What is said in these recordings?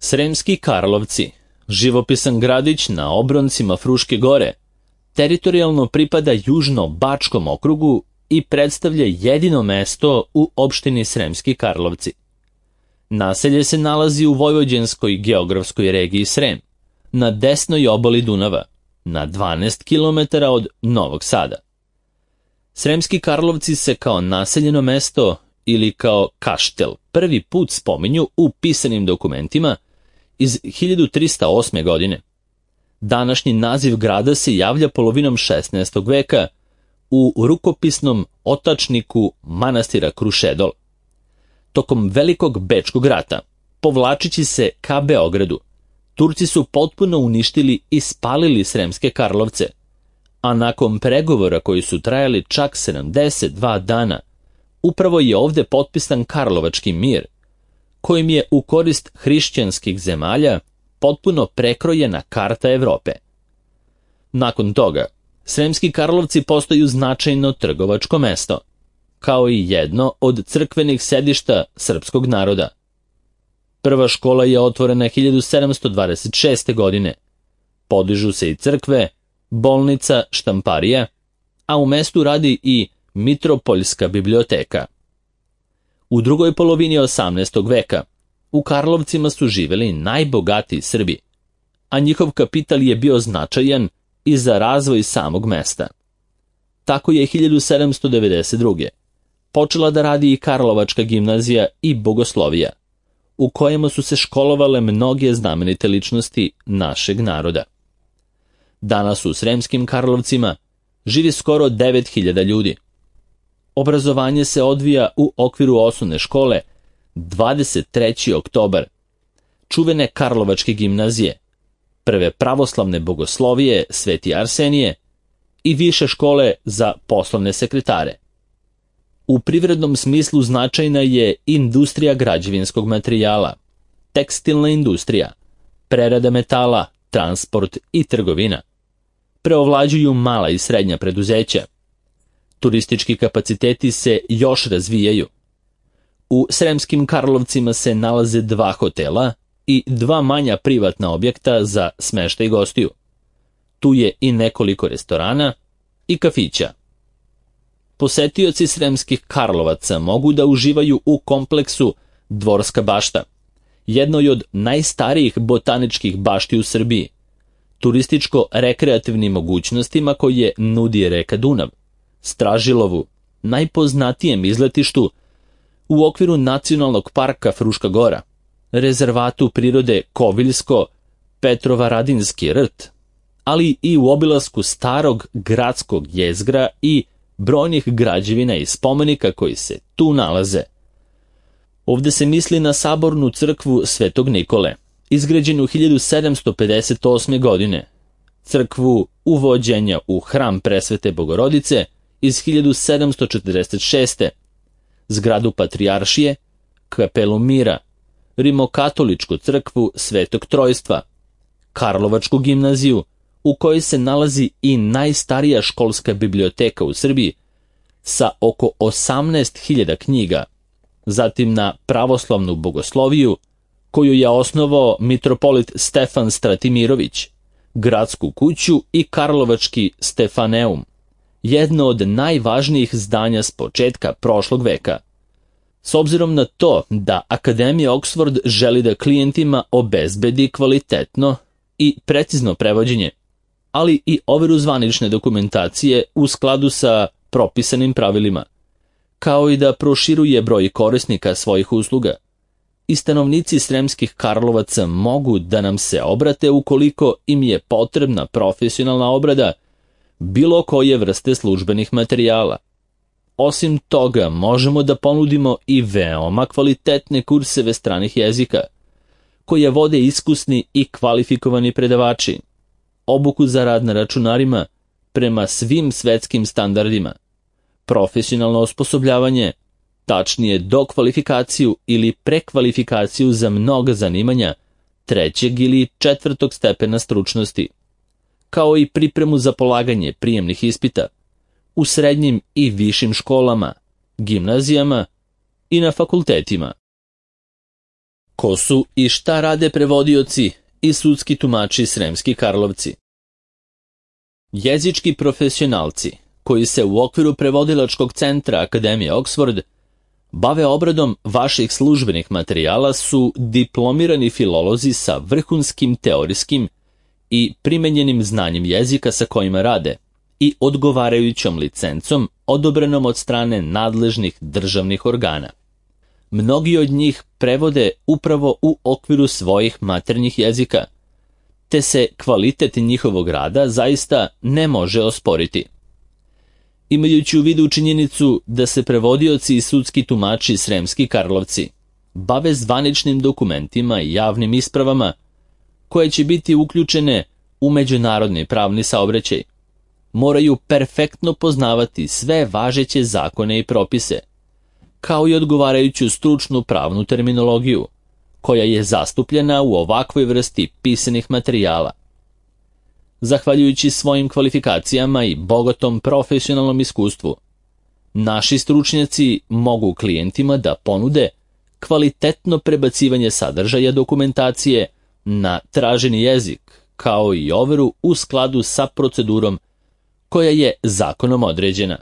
Sremski Karlovci, živopisan gradić na obroncima Fruške gore, teritorijalno pripada Južno-Bačkom okrugu i predstavlja jedino mesto u opštini Sremski Karlovci. Naselje se nalazi u vojvođanskoj geografskoj regiji Srem, na desnoj obali Dunava, na 12 km od Novog Sada. Sremski Karlovci se kao naseljeno mesto ili kao kaštel prvi put spominju u pisanim dokumentima iz 1308. godine. Današnji naziv grada se javlja polovinom 16. veka u rukopisnom otačniku manastira Krušedol. Tokom Velikog Bečkog rata, povlačići se ka Beogradu, Turci su potpuno uništili i spalili Sremske Karlovce, a nakon pregovora koji su trajali čak 72 dana, upravo je ovde potpisan Karlovački mir, kojim je u korist hrišćanskih zemalja potpuno prekrojena karta Evrope. Nakon toga, Sremski Karlovci postaju značajno trgovačko mesto, kao i jedno od crkvenih sedišta srpskog naroda. Prva škola je otvorena 1726. godine. Podižu se i crkve, bolnica, štamparija, a u mestu radi i Mitropoljska biblioteka. U drugoj polovini 18. veka u Karlovcima su živeli najbogatiji Srbi, a njihov kapital je bio značajan i za razvoj samog mesta. Tako je 1792. počela da radi i Karlovačka gimnazija i bogoslovija, u kojima su se školovale mnoge znamenite ličnosti našeg naroda. Danas u Sremskim Karlovcima živi skoro 9000 ljudi. Obrazovanje se odvija u okviru osnovne škole 23. oktobar, čuvene Karlovačke gimnazije, prve pravoslavne bogoslovije Sveti Arsenije i više škole za poslovne sekretare. U privrednom smislu značajna je industrija građevinskog materijala, tekstilna industrija, prerada metala, transport i trgovina. Preovlađuju mala i srednja preduzeća. Turistički kapaciteti se još razvijaju. U Sremskim Karlovcima se nalaze 2 hotela i 2 manja privatna objekta za smeštaj gostiju. Tu je i nekoliko restorana i kafića. Posetioci Sremskih Karlovaca mogu da uživaju u kompleksu Dvorska bašta, jednoj od najstarijih botaničkih bašti u Srbiji, turističko-rekreativnim mogućnostima koje nudi reka Dunav, Stražilovu, najpoznatijem izletištu u okviru Nacionalnog parka Fruška gora, rezervatu prirode Koviljsko-Petrovaradinski rt, ali i u obilasku starog gradskog jezgra i brojnih građevina i spomenika koji se tu nalaze. Ovde se misli na sabornu crkvu Svetog Nikole, izgrađenu 1758. godine, crkvu uvođenja u hram Presvete Bogorodice iz 1746. zgradu Patrijaršije, kapelu Mira, rimokatoličku crkvu Svetog Trojstva, Karlovačku gimnaziju, u kojoj se nalazi i najstarija školska biblioteka u Srbiji sa oko 18.000 knjiga, zatim na pravoslavnu bogosloviju, koju je osnovao mitropolit Stefan Stratimirović, gradsku kuću i Karlovački Stefaneum, jedno od najvažnijih zdanja s početka prošlog veka. S obzirom na to da Akademija Oxford želi da klijentima obezbedi kvalitetno i precizno prevođenje, ali i overu zvanične dokumentacije u skladu sa propisanim pravilima, kao i da proširuje broj korisnika svojih usluga, i stanovnici Sremskih Karlovaca mogu da nam se obrate ukoliko im je potrebna profesionalna obrada bilo koje vrste službenih materijala. Osim toga, možemo da ponudimo i veoma kvalitetne kurseve stranih jezika, koje vode iskusni i kvalifikovani predavači, obuku za rad na računarima prema svim svetskim standardima, profesionalno osposobljavanje, tačnije dokvalifikaciju ili prekvalifikaciju za mnoga zanimanja 3. ili 4. stepena stručnosti, kao i pripremu za polaganje prijemnih ispita u srednjim i višim školama, gimnazijama i na fakultetima. Ko su i šta rade prevodioci i sudski tumači Sremski Karlovci? Jezički profesionalci, koji se u okviru prevodilačkog centra Akademije Oxford bave obradom vaših službenih materijala, su diplomirani filolozi sa vrhunskim teorijskim i primenjenim znanjem jezika sa kojima rade i odgovarajućom licencom odobrenom od strane nadležnih državnih organa. Mnogi od njih prevode upravo u okviru svojih maternjih jezika, te se kvalitet njihovog rada zaista ne može osporiti. Imajući u vidu činjenicu da se prevodioci i sudski tumači Sremski Karlovci bave zvaničnim dokumentima i javnim ispravama koje će biti uključene u međunarodni pravni saobraćaj, moraju perfektno poznavati sve važeće zakone i propise, kao i odgovarajuću stručnu pravnu terminologiju, koja je zastupljena u ovakvoj vrsti pisanih materijala. Zahvaljujući svojim kvalifikacijama i bogatom profesionalnom iskustvu, naši stručnjaci mogu klijentima da ponude kvalitetno prebacivanje sadržaja dokumentacije na traženi jezik, kao i overu u skladu sa procedurom koja je zakonom određena.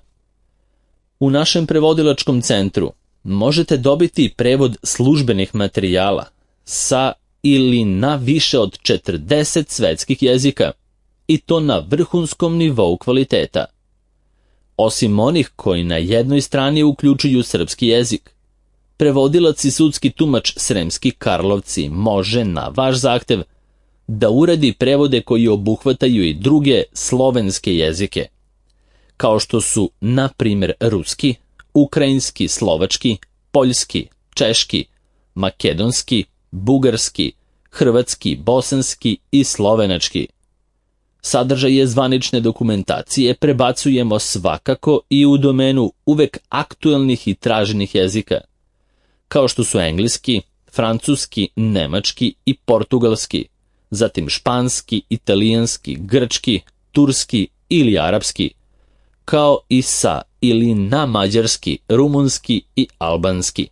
U našem prevodilačkom centru možete dobiti prevod službenih materijala sa ili na više od 40 svetskih jezika, i to na vrhunskom nivou kvaliteta. Osim onih koji na jednoj strani uključuju srpski jezik, prevodilac i sudski tumač Sremski Karlovci može na vaš zahtev da uradi prevode koji obuhvataju i druge slovenske jezike, kao što su, na primjer, ruski, ukrajinski, slovački, poljski, češki, makedonski, bugarski, hrvatski, bosanski i slovenački. Sadržaje zvanične dokumentacije prebacujemo svakako i u domenu uvek aktuelnih i traženih jezika, kao što su engleski, francuski, nemački i portugalski, zatim španski, italijanski, grčki, turski ili arapski, kao i sa ili na mađarski, rumunski i albanski.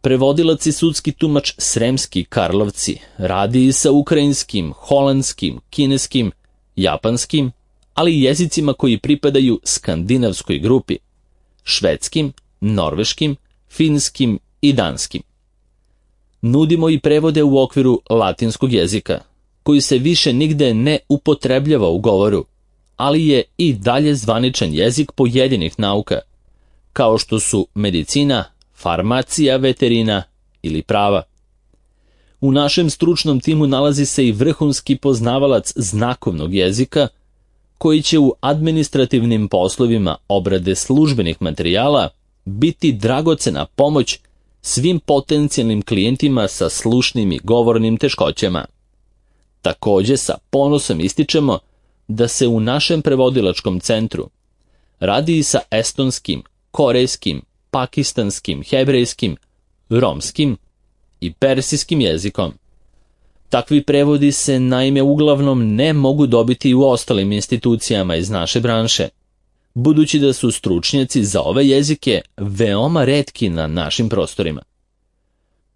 Prevodilac i sudski tumač Sremski Karlovci radi i sa ukrajinskim, holandskim, kineskim, japanskim, ali i jezicima koji pripadaju skandinavskoj grupi, švedskim, norveškim, finskim i danskim. Nudimo i prevode u okviru latinskog jezika, koji se više nigde ne upotrebljava u govoru, ali je i dalje zvaničan jezik pojedinih nauka, kao što su medicina, farmacija, veterina ili prava. U našem stručnom timu nalazi se i vrhunski poznavalac znakovnog jezika, koji će u administrativnim poslovima obrade službenih materijala biti dragocena pomoć svim potencijalnim klijentima sa slušnim i govornim teškoćama. Također sa ponosom ističemo da se u našem prevodilačkom centru radi i sa estonskim, korejskim, pakistanskim, hebrejskim, romskim i persijskim jezikom. Takvi prevodi se naime uglavnom ne mogu dobiti u ostalim institucijama iz naše branše, budući da su stručnjaci za ove jezike veoma retki na našim prostorima.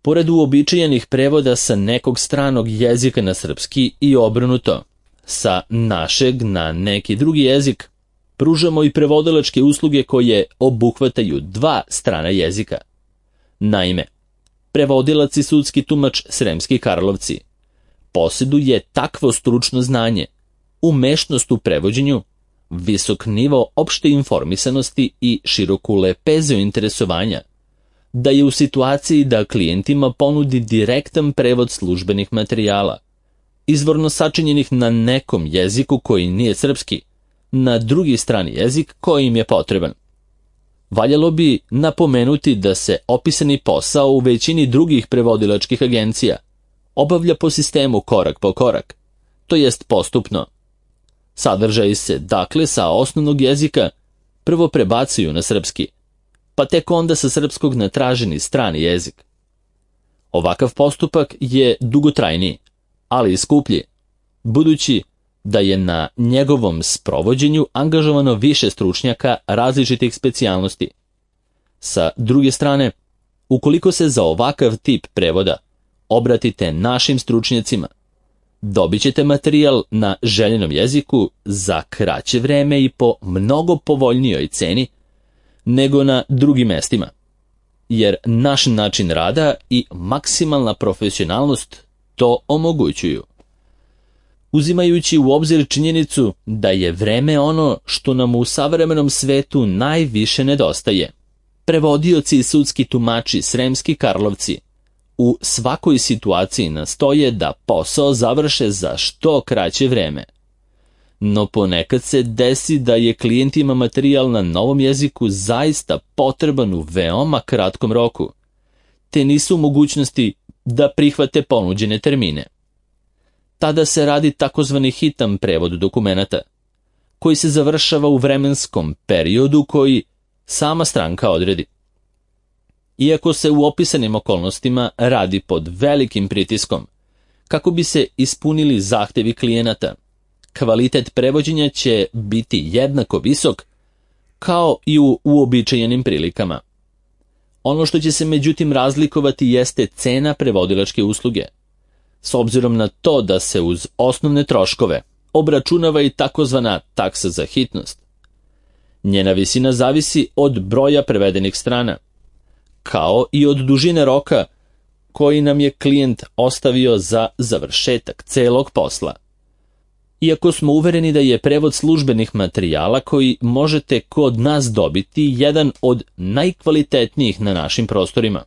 Pored uobičajenih prevoda sa nekog stranog jezika na srpski i obrnuto, sa našeg na neki drugi jezik, pružamo i prevodilačke usluge koje obuhvataju dva strana jezika. Naime, prevodilac i sudski tumač Sremski Karlovci posjeduje takvo stručno znanje, umešnost u prevođenju, visok nivo opšte informisanosti i široku lepezu interesovanja, da je u situaciji da klijentima ponudi direktan prevod službenih materijala, izvorno sačinjenih na nekom jeziku koji nije srpski, na drugi strani jezik koji im je potreban. Valjalo bi napomenuti da se opisani posao u većini drugih prevodilačkih agencija obavlja po sistemu korak po korak, to jest postupno. Sadržaji se, dakle, sa osnovnog jezika prvo prebacuju na srpski, pa tek onda sa srpskog na traženi strani jezik. Ovakav postupak je dugotrajniji, ali i skuplji, budući da je na njegovom sprovođenju angažovano više stručnjaka različitih specijalnosti. Sa druge strane, Ukoliko se za ovakav tip prevoda obratite našim stručnjacima, dobit ćete materijal na željenom jeziku za kraće vreme i po mnogo povoljnijoj ceni nego na drugim mestima, jer naš način rada i maksimalna profesionalnost to omogućuju. Uzimajući u obzir činjenicu da je vreme ono što nam u savremenom svetu najviše nedostaje, prevodioci i sudski tumači Sremski Karlovci u svakoj situaciji nastoje da posao završe za što kraće vreme. No ponekad se desi da je klijentima materijal na novom jeziku zaista potreban u veoma kratkom roku, te nisu u mogućnosti da prihvate ponuđene termine. Tada se radi takozvani hitan prevod dokumenata, koji se završava u vremenskom periodu koji sama stranka odredi. Iako se u opisanim okolnostima radi pod velikim pritiskom, kako bi se ispunili zahtevi klijenata, kvalitet prevođenja će biti jednako visok kao i u uobičajenim prilikama. Ono što će se međutim razlikovati jeste cena prevodilačke usluge, s obzirom na to da se uz osnovne troškove obračunava i takozvana taksa za hitnost. Njena visina zavisi od broja prevedenih strana, kao i od dužine roka koji nam je klijent ostavio za završetak celog posla. Iako smo uvereni da je prevod službenih materijala koji možete kod nas dobiti jedan od najkvalitetnijih na našim prostorima,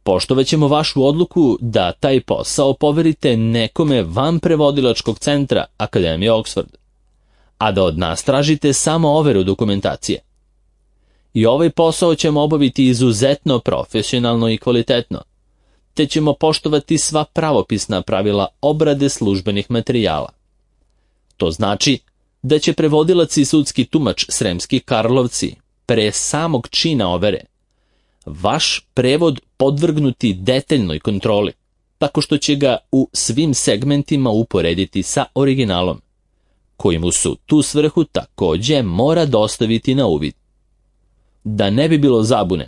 poštovaćemo vašu odluku da taj posao poverite nekome van prevodilačkog centra Akademije Oxford, a da od nas tražite samo overu dokumentacije. I ovaj posao ćemo obaviti izuzetno profesionalno i kvalitetno, te ćemo poštovati sva pravopisna pravila obrade službenih materijala. To znači da će prevodilac i sudski tumač Sremski Karlovci pre samog čina overe vaš prevod podvrgnuti detaljnoj kontroli, tako što će ga u svim segmentima uporediti sa originalom, koji mu su tu svrhu takođe mora dostaviti na uvid. Da ne bi bilo zabune,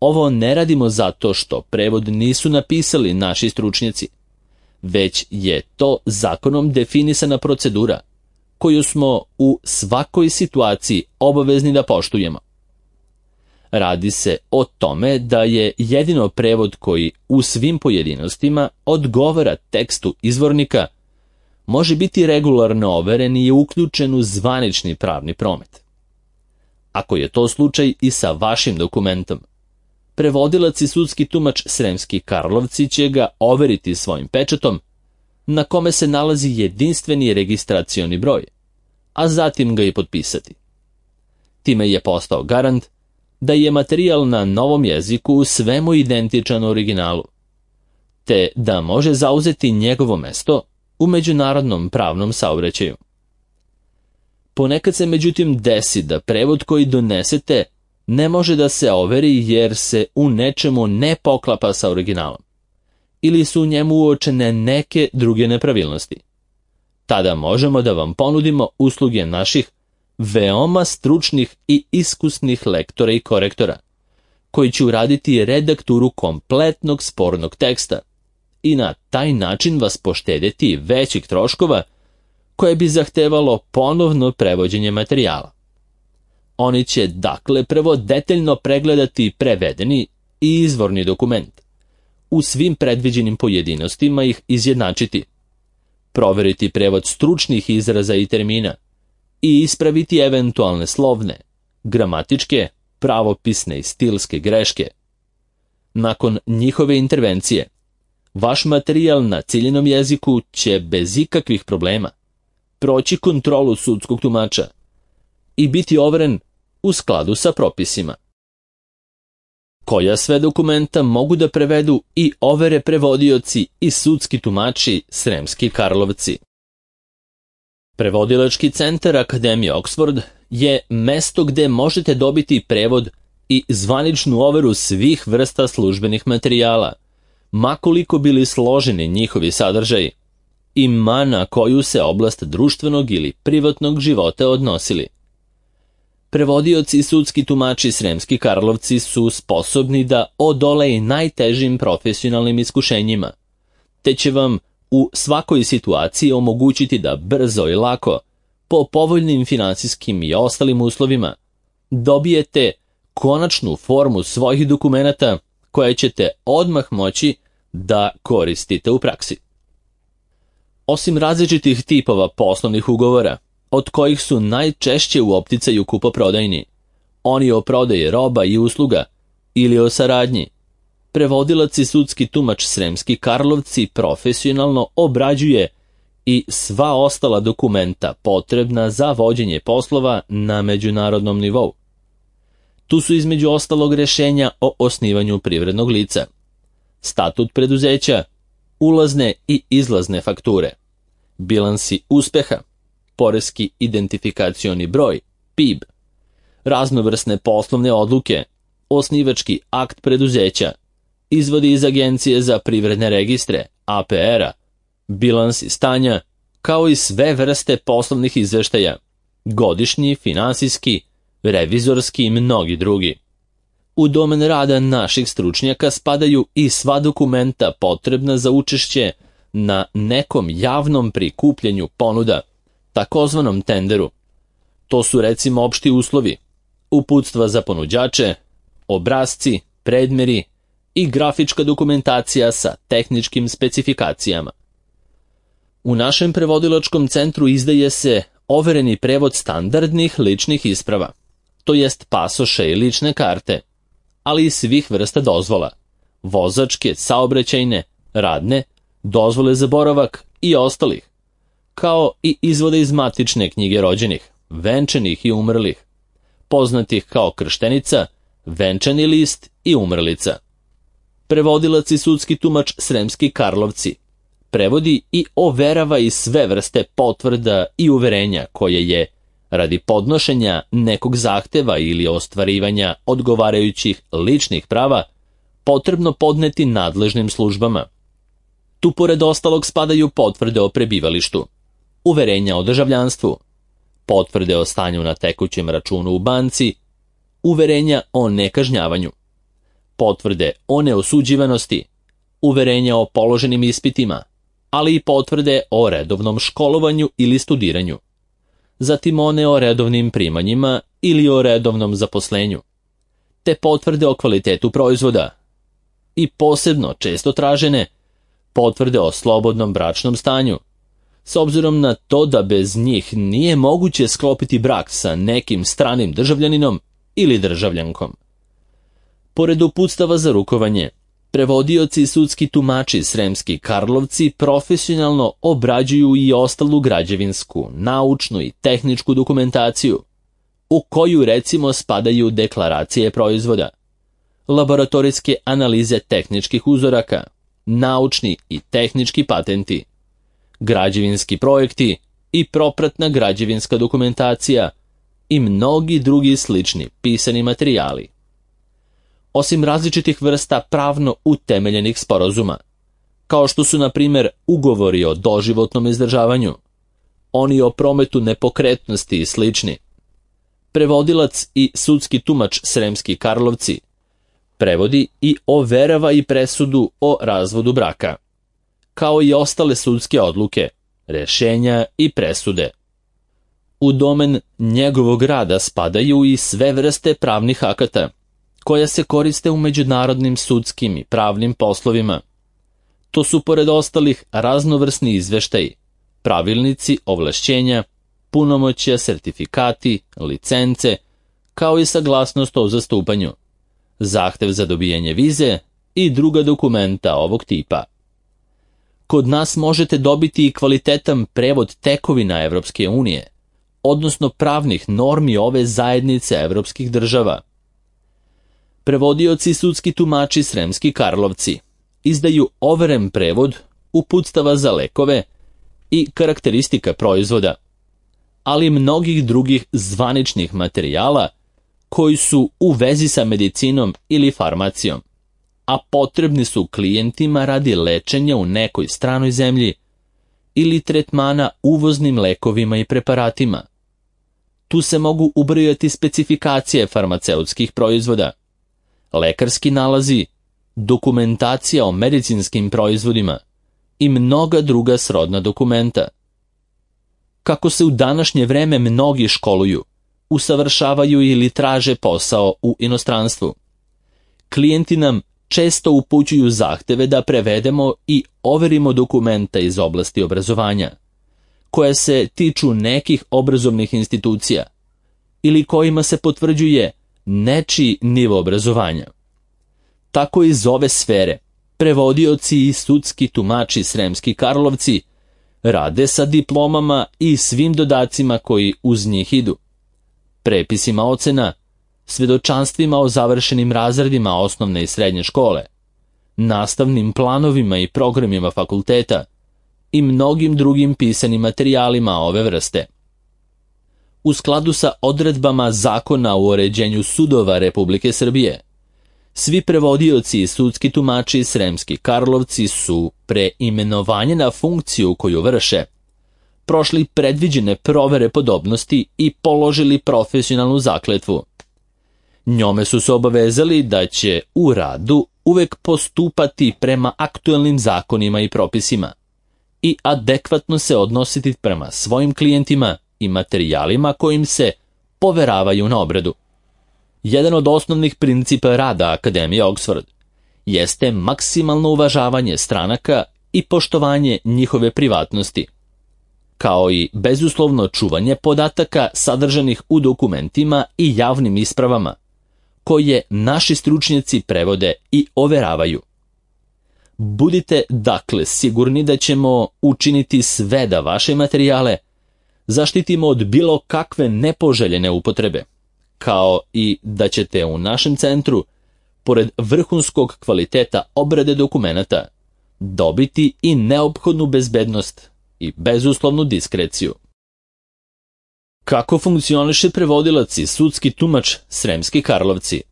ovo ne radimo zato što prevod nisu napisali naši stručnjaci, već je to zakonom definisana procedura koju smo u svakoj situaciji obavezni da poštujemo. Radi se o tome da je jedino prevod koji u svim pojedinostima odgovara tekstu izvornika može biti regularno overen i je uključen u zvanični pravni promet. Ako je to slučaj i sa vašim dokumentom, prevodilac i sudski tumač Sremski Karlovci će ga overiti svojim pečatom, na kome se nalazi jedinstveni registracioni broj, a zatim ga i potpisati. Time je postao garant da je materijal na novom jeziku u svemu identičan originalu, te da može zauzeti njegovo mesto u međunarodnom pravnom saobraćaju. Ponekad se međutim desi da prevod koji donesete ne može da se overi jer se u nečemu ne poklapa sa originalom, ili su u njemu uočene neke druge nepravilnosti. Tada možemo da vam ponudimo usluge naših veoma stručnih i iskusnih lektora i korektora, koji će uraditi redakturu kompletnog spornog teksta i na taj način vas poštedjeti većih troškova koje bi zahtevalo ponovno prevođenje materijala. Oni će dakle prvo detaljno pregledati prevedeni i izvorni dokument, u svim predviđenim pojedinostima ih izjednačiti, proveriti prevod stručnih izraza i termina i ispraviti eventualne slovne, gramatičke, pravopisne i stilske greške. Nakon njihove intervencije, vaš materijal na ciljenom jeziku će bez ikakvih problema proći kontrolu sudskog tumača i biti overen u skladu sa propisima. Koja sve dokumenta mogu da prevedu i overe prevodioci i sudski tumači Sremski Karlovci? Prevodilački centar Akademije Oxford je mesto gde možete dobiti prevod i zvaničnu overu svih vrsta službenih materijala, ma koliko bili složeni njihovi sadržaji i ma na koju se oblast društvenog ili privatnog života odnosili. Prevodioci i sudski tumači Sremski Karlovci su sposobni da odole i najtežim profesionalnim iskušenjima, te će vam u svakoj situaciji omogućiti da brzo i lako, po povoljnim finansijskim i ostalim uslovima, dobijete konačnu formu svojih dokumenata koje ćete odmah moći da koristite u praksi. Osim različitih tipova poslovnih ugovora, od kojih su najčešće u opticaju kupoprodajni, oni o prodaji roba i usluga ili o saradnji, prevodilac i sudski tumač Sremski Karlovci profesionalno obrađuje i sva ostala dokumenta potrebna za vođenje poslova na međunarodnom nivou. Tu su između ostalog rješenja o osnivanju privrednog lica, statut preduzeća, ulazne i izlazne fakture, bilansi uspeha, poreski identifikacioni broj, PIB, raznovrsne poslovne odluke, osnivački akt preduzeća, izvodi iz Agencije za privredne registre, APR-a, bilansi stanja, kao i sve vrste poslovnih izveštaja, godišnji, finansijski, revizorski i mnogi drugi. U domen rada naših stručnjaka spadaju i sva dokumenta potrebna za učešće na nekom javnom prikupljanju ponuda, takozvanom tenderu. To su recimo opšti uslovi, uputstva za ponuđače, obrasci, predmeri i grafička dokumentacija sa tehničkim specifikacijama. U našem prevodilačkom centru izdaje se overeni prevod standardnih ličnih isprava, to jest pasoše i lične karte, ali i svih vrsta dozvola, vozačke, saobraćajne, radne, dozvole za boravak i ostalih, kao i izvode iz matične knjige rođenih, venčanih i umrlih, poznatih kao krštenica, venčani list i umrlica. Prevodilac i sudski tumač Sremski Karlovci prevodi i overava i sve vrste potvrda i uverenja koje je, radi podnošenja nekog zahteva ili ostvarivanja odgovarajućih ličnih prava, potrebno podneti nadležnim službama. Tu pored ostalog spadaju potvrde o prebivalištu, uverenja o državljanstvu, potvrde o stanju na tekućem računu u banci, uverenja o nekažnjavanju, potvrde o neosuđivanosti, uverenja o položenim ispitima, ali i potvrde o redovnom školovanju ili studiranju, zatim one o redovnim primanjima ili o redovnom zaposlenju, te potvrde o kvalitetu proizvoda i posebno često tražene potvrde o slobodnom bračnom stanju, s obzirom na to da bez njih nije moguće sklopiti brak sa nekim stranim državljaninom ili državljankom. Pored uputstava za rukovanje, prevodioci i sudski tumači Sremski Karlovci profesionalno obrađuju i ostalu građevinsku, naučnu i tehničku dokumentaciju, u koju recimo spadaju deklaracije proizvoda, laboratorijske analize tehničkih uzoraka, naučni i tehnički patenti, građevinski projekti i propratna građevinska dokumentacija i mnogi drugi slični pisani materijali. Osim različitih vrsta pravno utemeljenih sporazuma, kao što su na primjer ugovori o doživotnom izdržavanju, oni o prometu nepokretnosti i slični, prevodilac i sudski tumač Sremski Karlovci prevodi i overava i presudu o razvodu braka, kao i ostale sudske odluke, rješenja i presude. U domen njegovog rada spadaju i sve vrste pravnih akata, koja se koriste u međunarodnim sudskim i pravnim poslovima. To su pored ostalih raznovrsni izveštaji, pravilnici, ovlašćenja, punomoćja, sertifikati, licence, kao i saglasnost o zastupanju, zahtev za dobijanje vize i druga dokumenta ovog tipa. Kod nas možete dobiti i kvalitetan prevod tekovina Evropske unije, odnosno pravnih normi ove zajednice evropskih država. Prevodioci i sudski tumači Sremski Karlovci izdaju overen prevod uputstava za lekove i karakteristika proizvoda, ali i mnogih drugih zvaničnih materijala koji su u vezi sa medicinom ili farmacijom, a potrebni su klijentima radi lečenja u nekoj stranoj zemlji ili tretmana uvoznim lekovima i preparatima. Tu se mogu ubrojati specifikacije farmaceutskih proizvoda, lekarski nalazi, dokumentacija o medicinskim proizvodima i mnoga druga srodna dokumenta. Kako se u današnje vreme mnogi školuju, usavršavaju ili traže posao u inostranstvu, klijenti nam često upućuju zahteve da prevedemo i overimo dokumenta iz oblasti obrazovanja, koje se tiču nekih obrazovnih institucija ili kojima se potvrđuje nečiji nivo obrazovanja. Tako iz ove sfere prevodioci i sudski tumači Sremski Karlovci rade sa diplomama i svim dodacima koji uz njih idu, prepisima ocena, svedočanstvima o završenim razredima osnovne i srednje škole, nastavnim planovima i programima fakulteta i mnogim drugim pisanim materijalima ove vrste. U skladu sa odredbama Zakona o uređenju sudova Republike Srbije, svi prevodioci i sudski tumači Sremski Karlovci su pre imenovanja na funkciju koju vrše prošli predviđene provere podobnosti i položili profesionalnu zakletvu. Njome su se obavezali da će u radu uvek postupati prema aktuelnim zakonima i propisima i adekvatno se odnositi prema svojim klijentima i materijalima kojim se poveravaju na obradu. Jedan od osnovnih principa rada Akademije Oxford jeste maksimalno uvažavanje stranaka i poštovanje njihove privatnosti, kao i bezuslovno čuvanje podataka sadržanih u dokumentima i javnim ispravama, koje naši stručnjaci prevode i overavaju. Budite dakle sigurni da ćemo učiniti sve da vaše materijale zaštitimo od bilo kakve nepoželjene upotrebe, kao i da ćete u našem centru, pored vrhunskog kvaliteta obrade dokumenata, dobiti i neophodnu bezbednost i bezuslovnu diskreciju. Kako funkcioniše prevodilac i sudski tumač Sremski Karlovci?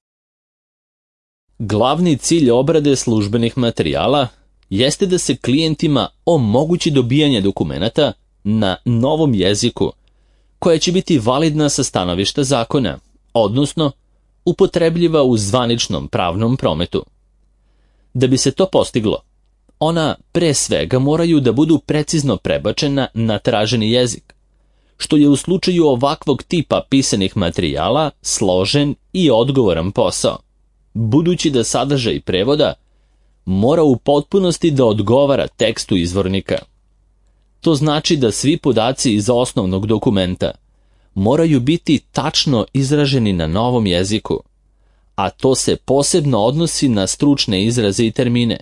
Glavni cilj obrade službenih materijala jeste da se klijentima omogući dobijanje dokumenata na novom jeziku, koja će biti validna sa stanovišta zakona, odnosno upotrebljiva u zvaničnom pravnom prometu. Da bi se to postiglo, ona pre svega moraju da budu precizno prebačena na traženi jezik, što je u slučaju ovakvog tipa pisanih materijala složen i odgovoran posao, budući da sadržaj prevoda mora u potpunosti da odgovara tekstu izvornika. To znači da svi podaci iz osnovnog dokumenta moraju biti tačno izraženi na novom jeziku, a to se posebno odnosi na stručne izraze i termine,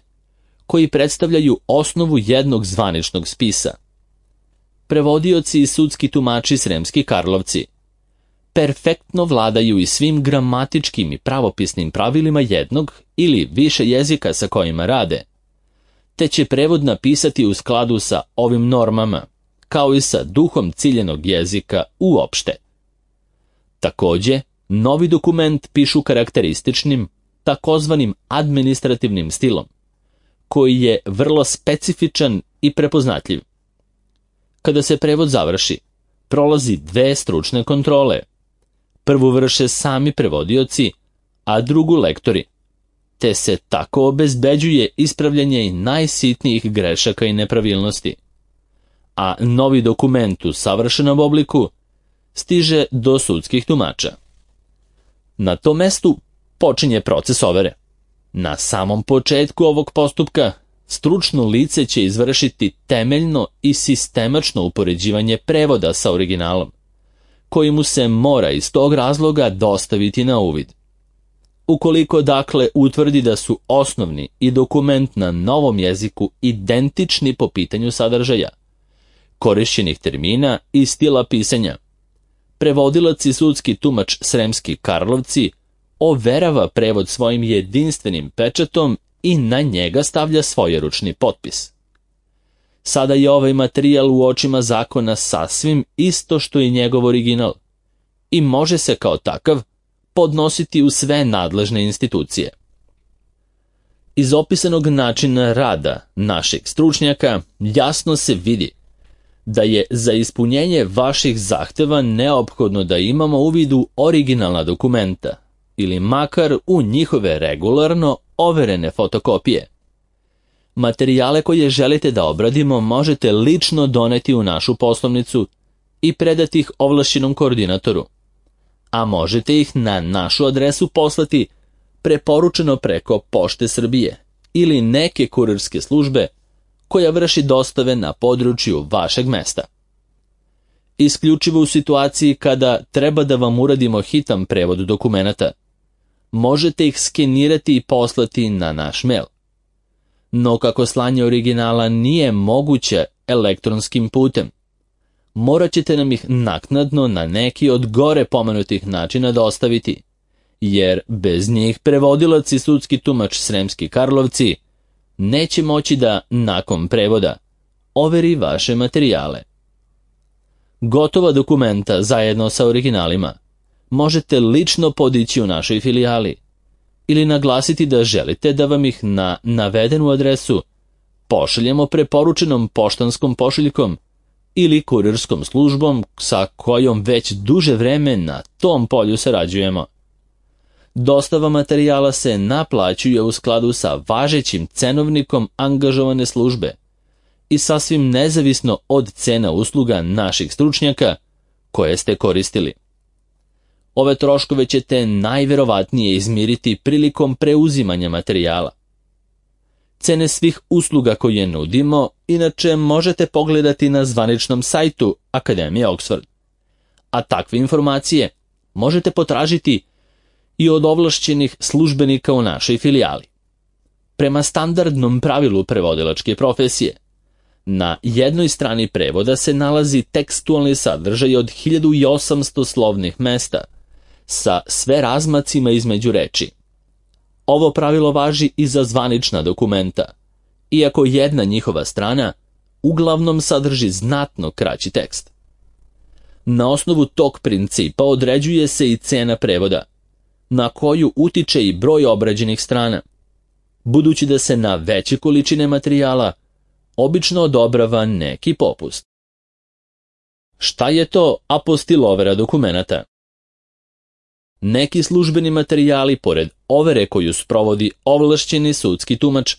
koji predstavljaju osnovu jednog zvaničnog spisa. Prevodioci i sudski tumači Sremski Karlovci perfektno vladaju i svim gramatičkim i pravopisnim pravilima jednog ili više jezika sa kojima rade, te će prevod napisati u skladu sa ovim normama, kao i sa duhom ciljenog jezika uopšte. Takođe, novi dokument pišu karakterističnim, takozvanim administrativnim stilom, koji je vrlo specifičan i prepoznatljiv. Kada se prevod završi, prolazi 2 stručne kontrole. Prvu vrše sami prevodioci, a drugu lektori, te se tako obezbeđuje ispravljanje i najsitnijih grešaka i nepravilnosti. A novi dokument u savršenom obliku stiže do sudskih tumača. Na tom mestu počinje proces overe. Na samom početku ovog postupka stručno lice će izvršiti temeljno i sistemačno upoređivanje prevoda sa originalom, koji mu se mora iz tog razloga dostaviti na uvid. Ukoliko dakle utvrdi da su osnovni i dokument na novom jeziku identični po pitanju sadržaja, korišćenih termina i stila pisanja, prevodilac i sudski tumač Sremski Karlovci overava prevod svojim jedinstvenim pečatom i na njega stavlja svojeručni potpis. Sada je ovaj materijal u očima zakona sasvim isto što i njegov original i može se kao takav podnositi u sve nadležne institucije. Iz opisanog načina rada naših stručnjaka jasno se vidi da je za ispunjenje vaših zahteva neophodno da imamo uvid u originalna dokumenta ili makar u njihove regularno overene fotokopije. Materijale koje želite da obradimo možete lično doneti u našu poslovnicu i predati ih ovlašćenom koordinatoru, a možete ih na našu adresu poslati preporučeno preko Pošte Srbije ili neke kurirske službe koja vrši dostave na području vašeg mesta. Isključivo u situaciji kada treba da vam uradimo hitan prevod dokumenata, možete ih skenirati i poslati na naš mail. No kako slanje originala nije moguće elektronskim putem, morat ćete nam ih naknadno na neki od gore pomenutih načina dostaviti, jer bez njih prevodilac i sudski tumač Sremski Karlovci neće moći da, nakon prevoda, overi vaše materijale. Gotova dokumenta zajedno sa originalima možete lično podići u našoj filijali ili naglasiti da želite da vam ih na navedenu adresu pošaljemo preporučenom poštanskom pošiljkom ili kurirskom službom sa kojom već duže vreme na tom polju sarađujemo. Dostava materijala se naplaćuje u skladu sa važećim cenovnikom angažovane službe i sasvim nezavisno od cena usluga naših stručnjaka koje ste koristili. Ove troškove ćete najverovatnije izmiriti prilikom preuzimanja materijala. Cene svih usluga koje nudimo inače možete pogledati na zvaničnom sajtu Akademije Oxford, a takve informacije možete potražiti i od ovlašćenih službenika u našoj filijali. Prema standardnom pravilu prevodilačke profesije, na jednoj strani prevoda se nalazi tekstualni sadržaj od 1800 slovnih mesta sa sve razmacima između reči. Ovo pravilo važi i za zvanična dokumenta, iako jedna njihova strana uglavnom sadrži znatno kraći tekst. Na osnovu tog principa određuje se i cena prevoda, na koju utiče i broj obrađenih strana, budući da se na veće količine materijala obično odobrava neki popust. Šta je to apostilovera dokumenata? Neki službeni materijali, pored overe koju sprovodi ovlašćeni sudski tumač,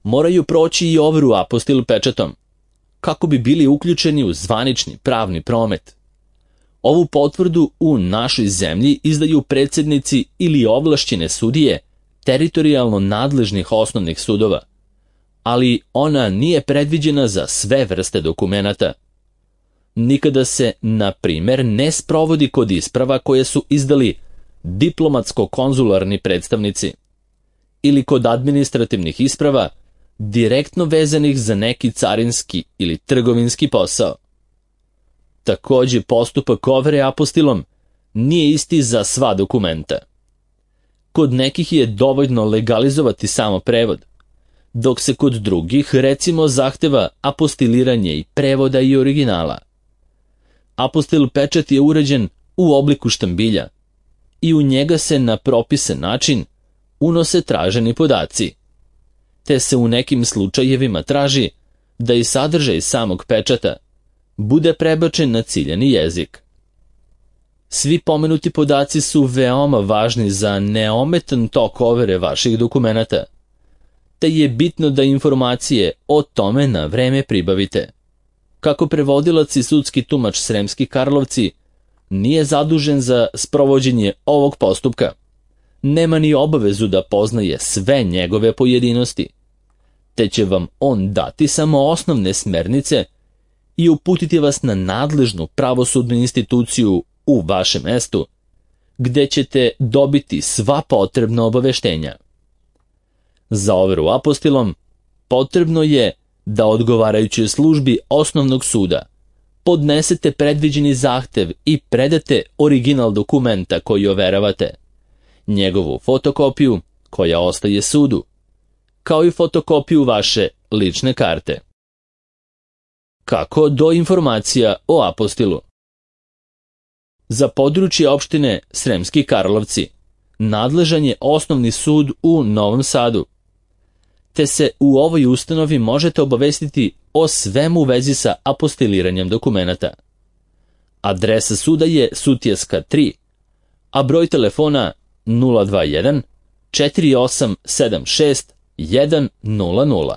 moraju proći i overu apostil pečatom, kako bi bili uključeni u zvanični pravni promet. Ovu potvrdu u našoj zemlji izdaju predsjednici ili ovlašćene sudije teritorijalno nadležnih osnovnih sudova, ali ona nije predviđena za sve vrste dokumenata. Nikada se, na primjer, ne sprovodi kod isprava koje su izdali diplomatsko-konzularni predstavnici ili kod administrativnih isprava direktno vezanih za neki carinski ili trgovinski posao. Također, postupak overe apostilom nije isti za sva dokumenta. Kod nekih je dovoljno legalizovati samo prevod, dok se kod drugih, recimo, zahteva apostiliranje i prevoda i originala. Apostil pečat je uređen u obliku štambilja i u njega se na propisan način unose traženi podaci, te se u nekim slučajevima traži da i sadržaj samog pečata bude prebačen na ciljani jezik. Svi pomenuti podaci su veoma važni za neometan tok overe vaših dokumenata, te je bitno da informacije o tome na vreme pribavite. Kako prevodilac i sudski tumač Sremski Karlovci nije zadužen za sprovođenje ovog postupka, nema ni obavezu da poznaje sve njegove pojedinosti, te će vam on dati samo osnovne smernice i uputiti vas na nadležnu pravosudnu instituciju u vašem mestu, gde ćete dobiti sva potrebna obaveštenja. Za overu apostilom potrebno je da odgovarajućoj službi osnovnog suda podnesete predviđeni zahtev i predate original dokumenta koji overavate, njegovu fotokopiju koja ostaje sudu, kao i fotokopiju vaše lične karte. Kako do informacija o apostilu? Za područje opštine Sremski Karlovci nadležan je osnovni sud u Novom Sadu. te se u ovoj ustanovi možete obavestiti o svemu u vezi sa apostiliranjem dokumenata. Adresa suda je Sutjeska 3, a broj telefona 021 4876 100.